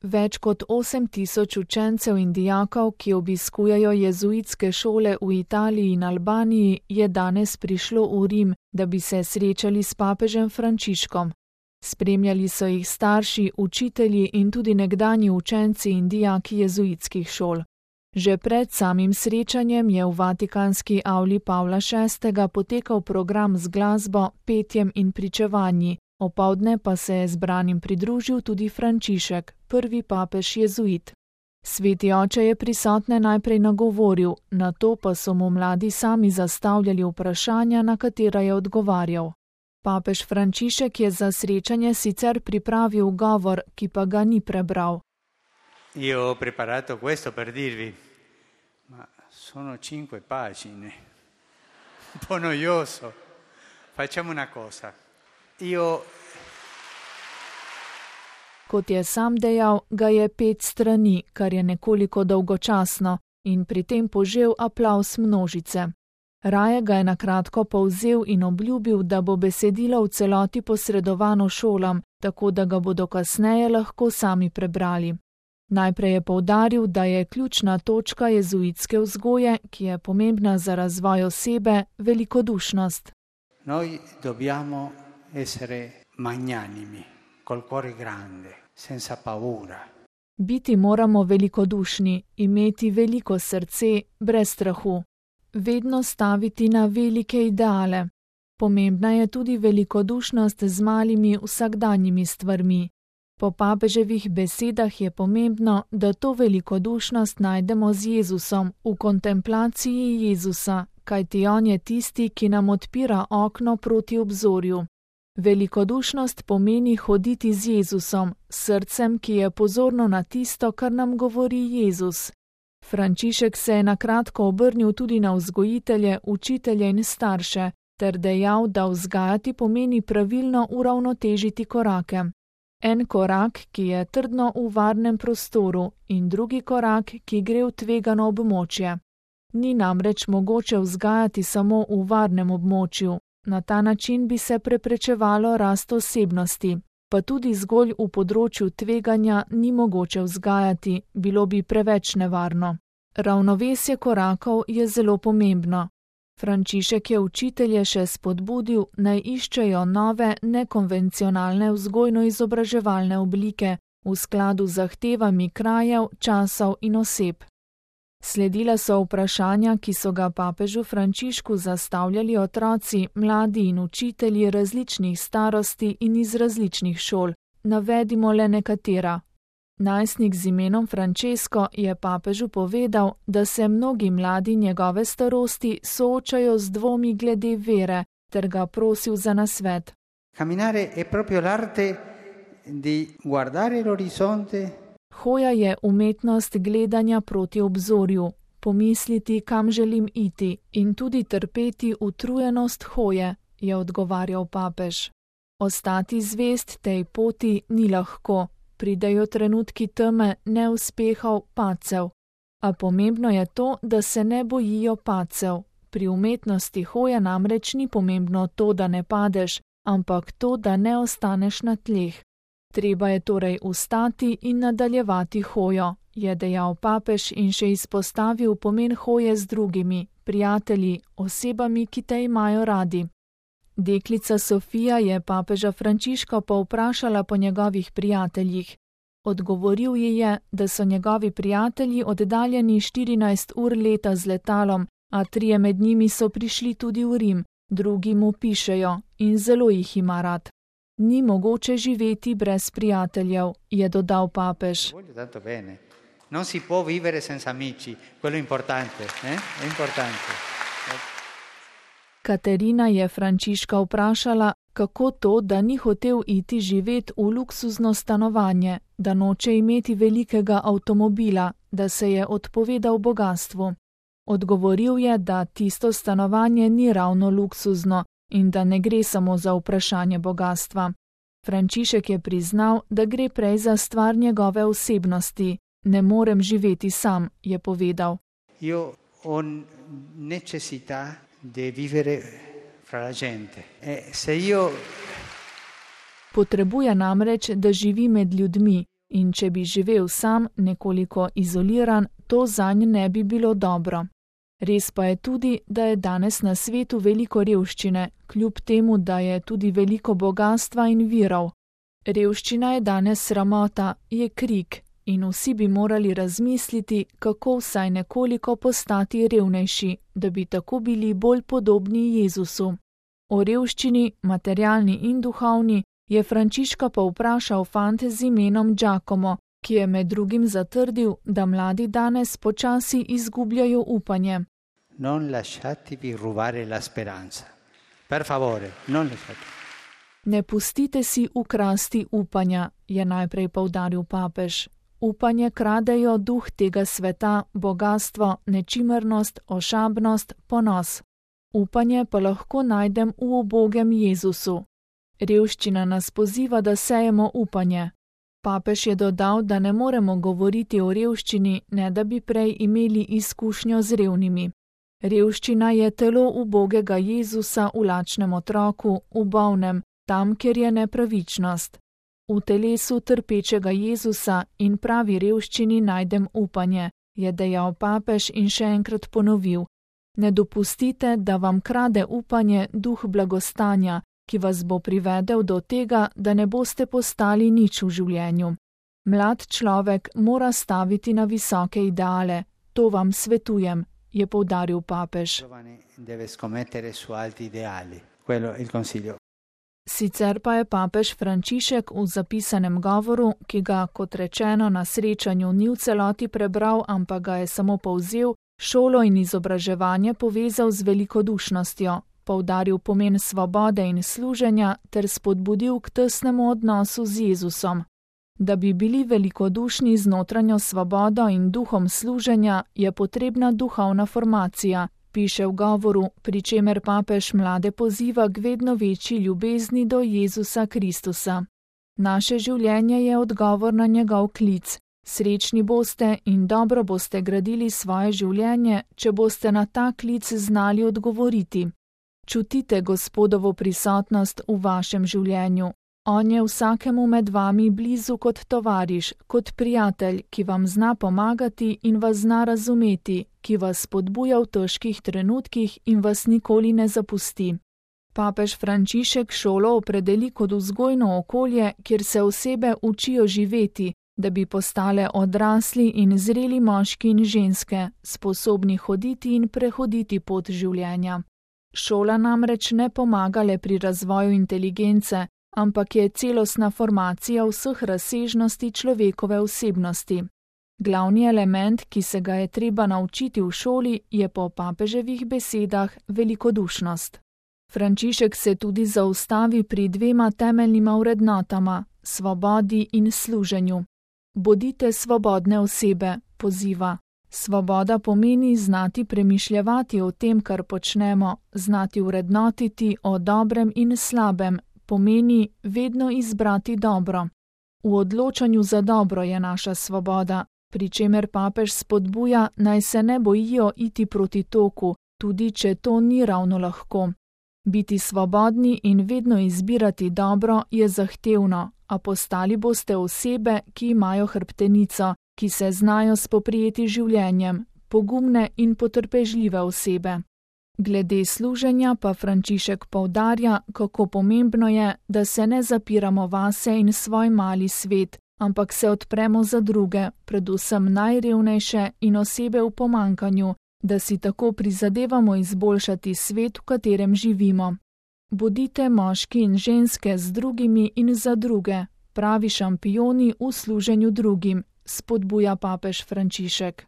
Več kot 8000 učencev in dijakov, ki obiskujejo jezuitske šole v Italiji in Albaniji, je danes prišlo v Rim, da bi se srečali s papežem Frančiškom. Spremljali so jih starši, učitelji in tudi nekdanji učenci in dijaki jezuitskih šol. Že pred samim srečanjem je v vatikanski avli Pavla VI. Potekal program z glasbo, petjem in pričevanji. Opoldne pa se je zbranim pridružil tudi Frančišek, prvi papež jezuit. Sveti oče je prisotne najprej nagovoril, nato pa so mu mladi sami zastavljali vprašanja, na katera je odgovarjal. Papež Frančišek je za srečanje sicer pripravil govor, ki pa ga ni prebral. Io ho preparato questo per dirvi, ma sono 5 pagine, un po' noioso. Facciamo una cosa. Kot je sam dejal, ga je 5 strani, kar je nekoliko dolgočasno, in pri tem požel aplavz množice. Raje ga je na kratko povzel in obljubil, da bo besedilo v celoti posredovano šolam, tako da ga bodo kasneje lahko sami prebrali. Najprej je poudaril, da je ključna točka jezuitske vzgoje, ki je pomembna za razvoj osebe, velikodušnost. Noi dobbiamo essere magnanimi, col cuore grande, senza paura. Biti moramo velikodušni, imeti veliko srce, brez strahu. Vedno staviti na velike ideale. Pomembna je tudi velikodušnost z malimi vsakdanjimi stvarmi. Po papeževih besedah je pomembno, da to velikodušnost najdemo z Jezusom, v kontemplaciji Jezusa, kajti on je tisti, ki nam odpira okno proti obzorju. Velikodušnost pomeni hoditi z Jezusom, srcem, ki je pozorno na tisto, kar nam govori Jezus. Frančišek se je na kratko obrnil tudi na vzgojitelje, učitelje in starše, ter dejal, da vzgajati pomeni pravilno uravnotežiti korake. En korak, ki je trdno v varnem prostoru, in drugi korak, ki gre v tvegano območje. Ni namreč mogoče vzgajati samo v varnem območju. Na ta način bi se preprečevalo rast osebnosti, pa tudi zgolj v področju tveganja ni mogoče vzgajati, bilo bi preveč nevarno. Ravnovesje korakov je zelo pomembno. Frančišek je učitelje še spodbudil, naj iščejo nove, nekonvencionalne vzgojno-izobraževalne oblike v skladu z zahtevami krajev, časov in oseb. Sledila so vprašanja, ki so ga papežu Frančišku zastavljali otroci, mladi in učitelji različnih starosti in iz različnih šol. Navedimo le nekatera. Najstnik z imenom Francesco je papežu povedal, da se mnogi mladi njegove starosti soočajo z dvomi glede vere, ter ga prosil za nasvet. Camminare è proprio l'arte di guardare l'orizzonte. Hoja je umetnost gledanja proti obzorju, pomisliti, kam želim iti, in tudi trpeti utrujenost hoje, je odgovarjal papež. Ostati zvest tej poti ni lahko, pridejo trenutki teme, neuspehov, padcev. A pomembno je to, da se ne bojijo padcev. Pri umetnosti hoje namreč ni pomembno to, da ne padeš, ampak to, da ne ostaneš na tleh. Treba je torej ustati in nadaljevati hojo, je dejal papež in še izpostavil pomen hoje z drugimi, prijatelji, osebami, ki te imajo radi. Deklica Sofija je papeža Frančiška povprašala po njegovih prijateljih. Odgovoril ji je, da so njegovi prijatelji oddaljeni 14 ur leta z letalom, a 3 med njimi so prišli tudi v Rim, drugi mu pišejo in zelo jih ima rad. Ni mogoče živeti brez prijateljev, je dodal papež. Non si può vivere senza amici, quello è importante, è importante. Katerina je Frančiška vprašala, kako to, da ni hotel iti živet v luksuzno stanovanje, da noče imeti velikega avtomobila, da se je odpovedal bogatstvu. Odgovoril je, da tisto stanovanje ni ravno luksuzno in da ne gre samo za vprašanje bogastva. Frančišek je priznal, da gre prej za stvar njegove osebnosti. Ne morem živeti sam, je povedal. Io ho necessità di vivere fra la gente. Se io Potrebuje namreč, da živi med ljudmi. In če bi živel sam, nekoliko izoliran, to zanj ne bi bilo dobro. Res pa je tudi, da je danes na svetu veliko revščine, kljub temu, da je tudi veliko bogastva in virov. Revščina je danes sramota, je krik in vsi bi morali razmisliti, kako vsaj nekoliko postati revnejši, da bi tako bili bolj podobni Jezusu. O revščini, materialni in duhovni, je Frančiška pa vprašal fante z imenom Giacomo, ki je med drugim zatrdil, da mladi danes počasi izgubljajo upanje. Non lasciatevi rubare la speranza. Per favore, non lasciate. Ne pustite si ukrasti upanja, je najprej poudaril papež. Upanje kradejo duh tega sveta, bogastvo, nečimrnost, ošabnost, ponos. Upanje pa lahko najdem v ubogem Jezusu. Revščina nas poziva, da sejemo upanje. Papež je dodal, da ne moremo govoriti o revščini, ne da bi prej imeli izkušnjo z revnimi. Revščina je telo ubogega Jezusa v lačnem otroku, v bolnem, tam, kjer je nepravičnost. V telesu trpečega Jezusa in pravi revščini najdem upanje, je dejal papež in še enkrat ponovil. Ne dopustite, da vam krade upanje duh blagostanja, ki vas bo privedel do tega, da ne boste postali nič v življenju. Mlad človek mora staviti na visoke ideale, to vam svetujem, je poudaril papež. Sicer pa je papež Frančišek v zapisanem govoru, ki ga, kot rečeno, na srečanju ni v celoti prebral, ampak ga je samo povzel, šolo in izobraževanje povezal z velikodušnostjo, poudaril pomen svobode in služenja ter spodbudil k tesnemu odnosu z Jezusom. Da bi bili velikodušni z notranjo svobodo in duhom služenja, je potrebna duhovna formacija, piše v govoru, pri čemer papež mlade poziva k vedno večji ljubezni do Jezusa Kristusa. Naše življenje je odgovor na njegov klic. Srečni boste in dobro boste gradili svoje življenje, če boste na ta klic znali odgovoriti. Čutite Gospodovo prisotnost v vašem življenju. On je vsakemu med vami blizu kot tovariš, kot prijatelj, ki vam zna pomagati in vas zna razumeti, ki vas spodbuja v težkih trenutkih in vas nikoli ne zapusti. Papež Frančišek šolo opredeli kot vzgojno okolje, kjer se osebe učijo živeti, da bi postale odrasli in zreli moški in ženske, sposobni hoditi in prehoditi pot življenja. Šola namreč ne pomaga le pri razvoju inteligence, ampak je celostna formacija vseh razsežnosti človekove osebnosti. Glavni element, ki se ga je treba naučiti v šoli, je po papeževih besedah velikodušnost. Frančišek se tudi zaustavi pri dvema temeljnima vrednotama, svobodi in služenju. Bodite svobodne osebe, poziva. Svoboda pomeni znati premišljevati o tem, kar počnemo, znati vrednotiti o dobrem in slabem, pomeni vedno izbrati dobro. V odločanju za dobro je naša svoboda, pri čemer papež spodbuja, naj se ne bojijo iti proti toku, tudi če to ni ravno lahko. Biti svobodni in vedno izbirati dobro je zahtevno, a postali boste osebe, ki imajo hrbtenico, ki se znajo spoprijeti življenjem, pogumne in potrpežljive osebe. Glede služenja pa Frančišek poudarja, kako pomembno je, da se ne zapiramo vase in svoj mali svet, ampak se odpremo za druge, predvsem najrevnejše in osebe v pomanjkanju, da si tako prizadevamo izboljšati svet, v katerem živimo. Bodite moški in ženske z drugimi in za druge, pravi šampioni v služenju drugim, spodbuja papež Frančišek.